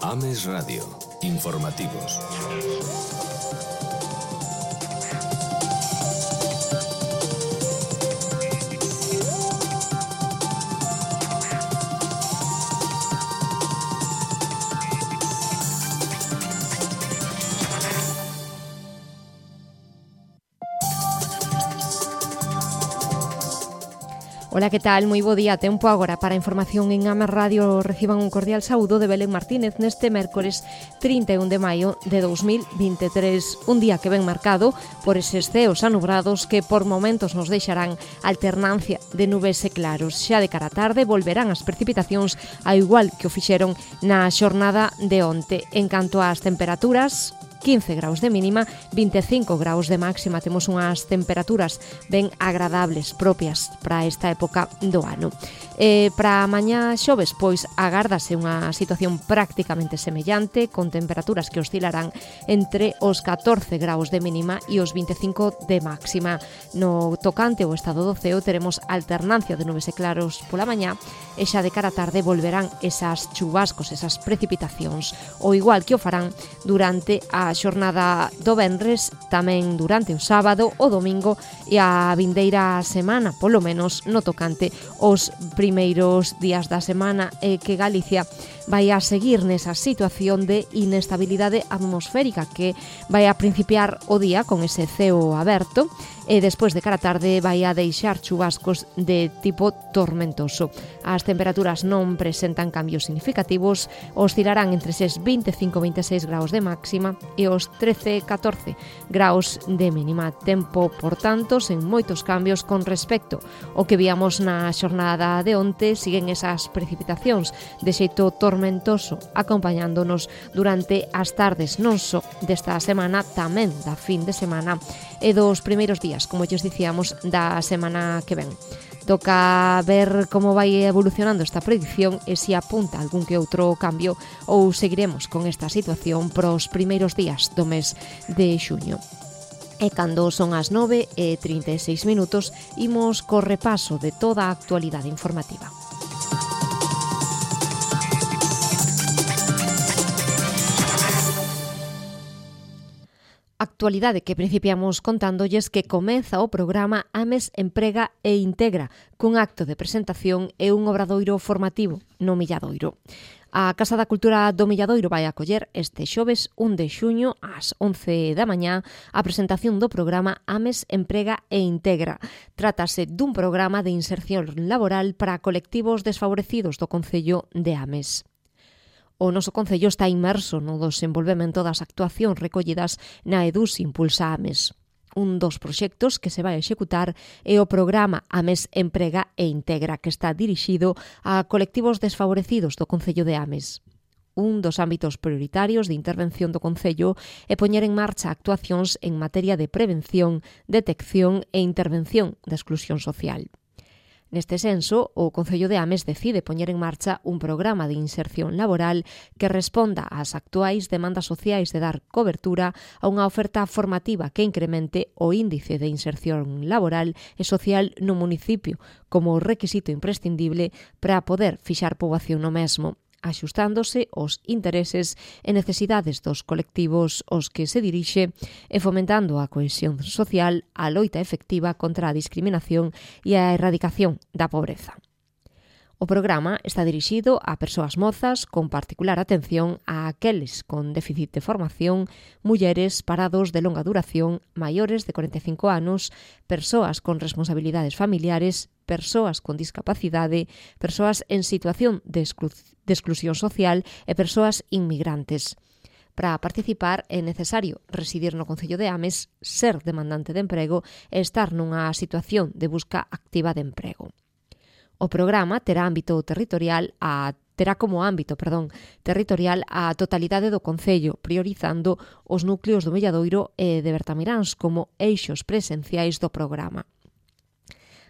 Ames Radio. Informativos. Ola, que tal? Moi bo día. Tempo agora para a información en Ames Radio. Reciban un cordial saúdo de Belén Martínez neste mércores 31 de maio de 2023. Un día que ven marcado por eses ceos anubrados que por momentos nos deixarán alternancia de nubes e claros. Xa de cara a tarde volverán as precipitacións ao igual que o fixeron na xornada de onte. En canto ás temperaturas, 15 graus de mínima, 25 graus de máxima. Temos unhas temperaturas ben agradables, propias para esta época do ano. Para mañá xoves, pois, agárdase unha situación prácticamente semellante, con temperaturas que oscilarán entre os 14 graus de mínima e os 25 de máxima. No tocante ao estado do ceo, teremos alternancia de nubes e claros pola mañá, e xa de cara a tarde volverán esas chubascos, esas precipitacións, o igual que o farán durante a xornada do venres, tamén durante o sábado, o domingo e a vindeira semana, polo menos no tocante aos primeiros días da semana, que Galicia vai a seguir nesa situación de inestabilidade atmosférica que vai a principiar o día con ese ceo aberto e despois de cara a tarde vai a deixar chubascos de tipo tormentoso. As temperaturas non presentan cambios significativos, oscilarán entre eses 25-26 graus de máxima e os 13-14 graus de mínima. Tempo, por tanto, sen moitos cambios con respecto ao que víamos na xornada de onte. Siguen esas precipitacións de xeito tormentoso acompañándonos durante as tardes non só desta semana, tamén da fin de semana e dos primeiros días, como lles dicíamos, da semana que ven. Toca ver como vai evolucionando esta predicción e se apunta algún que outro cambio ou seguiremos con esta situación pros primeiros días do mes de xuño. E cando son as 9:36, imos co repaso de toda a actualidade informativa. Actualidade que principiamos contándolles que comeza o programa Ames Emprega e Integra, cun acto de presentación e un obradoiro formativo no Milladoiro. A Casa da Cultura do Milladoiro vai acoller este xoves 1 de xuño ás 11 da mañá a presentación do programa Ames Emprega e Integra. Trátase dun programa de inserción laboral para colectivos desfavorecidos do concello de Ames. O noso concello está inmerso no desenvolvemento das actuacións recollidas na EDUS Impulsa Ames. Un dos proxectos que se vai executar é o programa Ames Emprega e Integra, que está dirixido a colectivos desfavorecidos do concello de Ames. Un dos ámbitos prioritarios de intervención do concello é poñer en marcha actuacións en materia de prevención, detección e intervención da exclusión social. Neste senso, o Concello de Ames decide poñer en marcha un programa de inserción laboral que responda ás actuais demandas sociais de dar cobertura a unha oferta formativa que incremente o índice de inserción laboral e social no municipio como requisito imprescindible para poder fixar poboación no mesmo, axustándose aos intereses e necesidades dos colectivos aos que se dirixe e fomentando a cohesión social, a loita efectiva contra a discriminación e a erradicación da pobreza. O programa está dirixido a persoas mozas con particular atención a aqueles con déficit de formación, mulleres, parados de longa duración, maiores de 45 anos, persoas con responsabilidades familiares, persoas con discapacidade, persoas en situación de exclusión social e persoas inmigrantes. Para participar é necesario residir no Concello de Ames, ser demandante de emprego e estar nunha situación de busca activa de emprego. O programa terá como ámbito territorial a totalidade do concello, priorizando os núcleos do Milladoiro e de Bertamiráns como eixos presenciais do programa.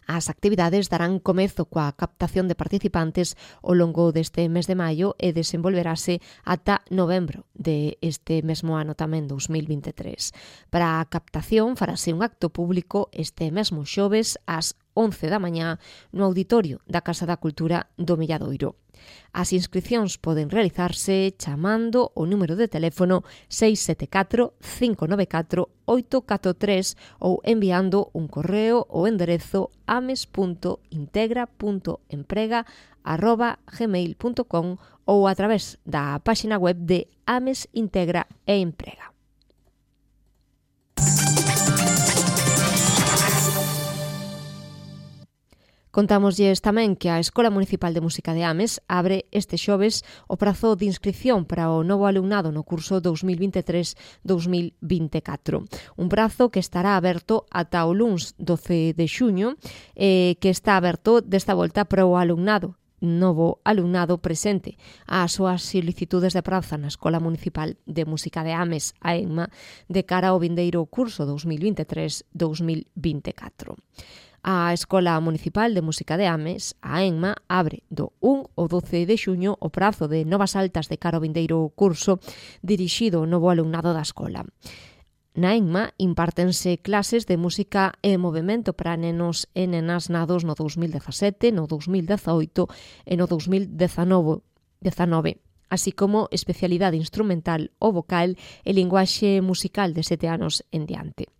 As actividades darán comezo coa captación de participantes ao longo deste mes de maio e desenvolverase ata novembro de este mesmo ano tamén 2023. Para a captación farase un acto público este mesmo xoves ás 11 da mañá no auditorio da Casa da Cultura do Milladoiro. As inscricións poden realizarse chamando o número de teléfono 674 594 843 ou enviando un correo ao enderezo ames.integra.emprega@gmail.com ou a través da páxina web de Ames Integra e Emprega. Contámoslles tamén que a Escola Municipal de Música de Ames abre este xoves o prazo de inscripción para o novo alumnado no curso 2023-2024. Un prazo que estará aberto ata o luns 12 de xuño, que está aberto desta volta para o novo alumnado presente ás súas solicitudes de praza na Escola Municipal de Música de Ames, a EMMA, de cara ao vindeiro curso 2023-2024. A Escola Municipal de Música de Ames, a EMMA, abre do 1 ao 12 de xuño o prazo de novas altas de cara ao vindeiro curso dirixido ao novo alumnado da escola. Na EMMA impártense clases de música e movimento para nenos e nenas nados no 2017, no 2018 e no 2019, así como especialidade instrumental ou vocal e linguaxe musical de 7 anos en diante.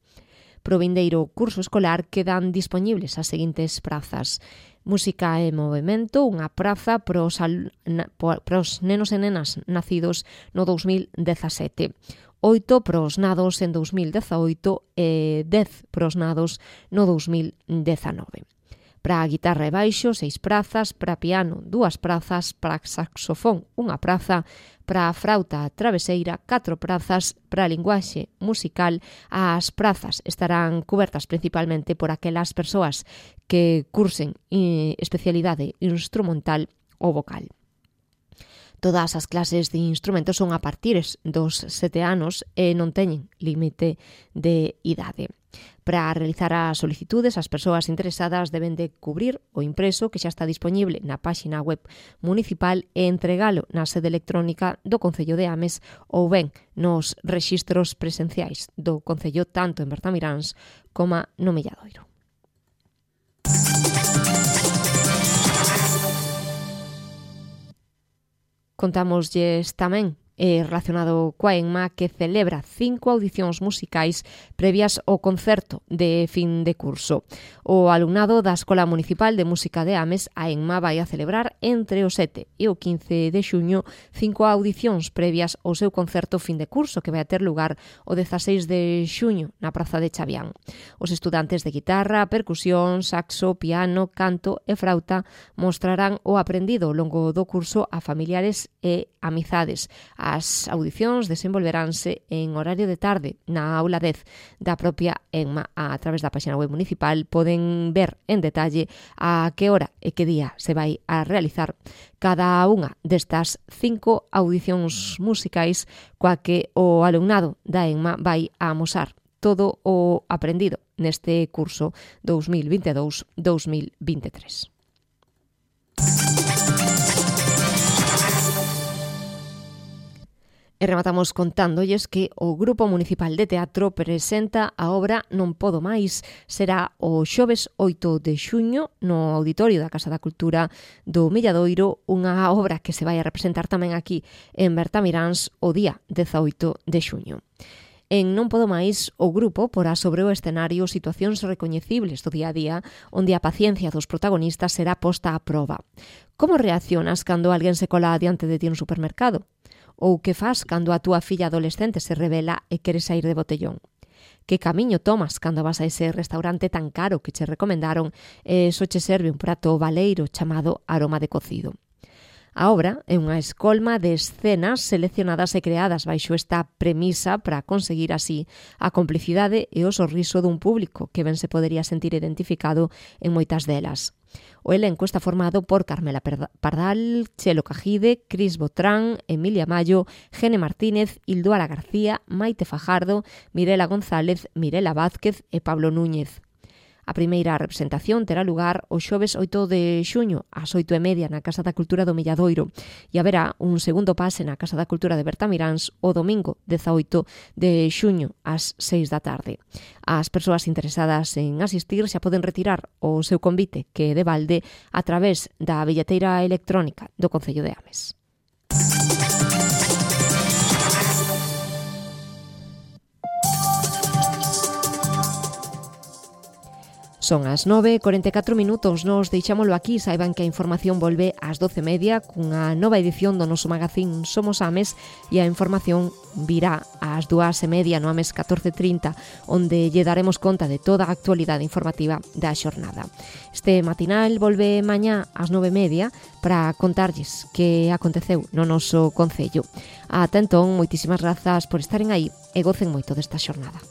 Pro vindeiro curso escolar quedan dispoñibles as seguintes prazas: música e movimento, unha praza para os nenos e nenas nacidos no 2017, 8 para os nados en 2018 e 10 para os nados no 2019. Para a guitarra e baixo, 6 prazas, para piano, 2 prazas, para saxofón, 1 praza, para a frauta traveseira, 4 prazas, para a linguaxe musical, as prazas estarán cubertas principalmente por aquelas persoas que cursen especialidade instrumental ou vocal. Todas as clases de instrumentos son a partir dos 7 anos e non teñen límite de idade. Para realizar as solicitudes, as persoas interesadas deben de cubrir o impreso que xa está disponible na páxina web municipal e entregalo na sede electrónica do Concello de Ames ou ben nos rexistros presenciais do Concello tanto en Bertamiráns como no Milladoiro. Contámoslles tamén relacionado coa EMMA que celebra 5 audicións musicais previas ao concerto de fin de curso. O alumnado da Escola Municipal de Música de Ames, a EMMA, vai a celebrar entre o 7 e o 15 de xuño 5 audicións previas ao seu concerto fin de curso que vai a ter lugar o 16 de xuño na Praza de Chavián. Os estudantes de guitarra, percusión, saxo, piano, canto e frauta mostrarán o aprendido ao longo do curso a familiares e amizades. As audicións desenvolveránse en horario de tarde na aula 10 da propia EMMA. A través da páxina web municipal poden ver en detalle a que hora e que día se vai a realizar cada unha destas 5 audicións musicais coa que o alumnado da EMMA vai a amosar todo o aprendido neste curso 2022-2023. E rematamos contándolles que o Grupo Municipal de Teatro presenta a obra Non Podo Máis. Será o xoves 8 de xuño no auditorio da Casa da Cultura do Milladoiro, unha obra que se vai a representar tamén aquí en Bertamiráns o día 18 de xuño. En Non Podo Máis, o grupo porá sobre o escenario situacións recoñecibles do día a día onde a paciencia dos protagonistas será posta a proba. Como reaccionas cando alguén se cola diante de ti no supermercado? Ou que fas cando a túa filla adolescente se revela e quere sair de botellón? Que camiño tomas cando vas a ese restaurante tan caro que che recomendaron e só che serve un prato baleiro chamado aroma de cocido? A obra é unha escolma de escenas seleccionadas e creadas baixo esta premisa para conseguir así a complicidade e o sorriso dun público que ben se podería sentir identificado en moitas delas. O elenco está formado por Carmela Pardal, Chelo Cajide, Cris Botrán, Emilia Mayo, Gene Martínez, Ilduara García, Maite Fajardo, Mirela González, Mirela Vázquez e Pablo Núñez. A primeira representación terá lugar o xoves 8 de xuño ás 8:30 na Casa da Cultura do Milladoiro e haberá un segundo pase na Casa da Cultura de Bertamiráns o domingo 18 de xuño ás 6 da tarde. As persoas interesadas en asistir xa poden retirar o seu convite que é de balde a través da billeteira electrónica do Concello de Ames. Son as 9:44 minutos, nos deixámolo aquí, saiban que a información volve ás 12:30 cunha nova edición do noso magazín Somos Ames e a información virá ás 2:30 no Ames 14:30, onde lle daremos conta de toda a actualidade informativa da xornada. Este matinal volve mañá ás 9:30 para contarlles que aconteceu no noso concello. Ata entón, moitísimas grazas por estaren aí e gocen moito desta xornada.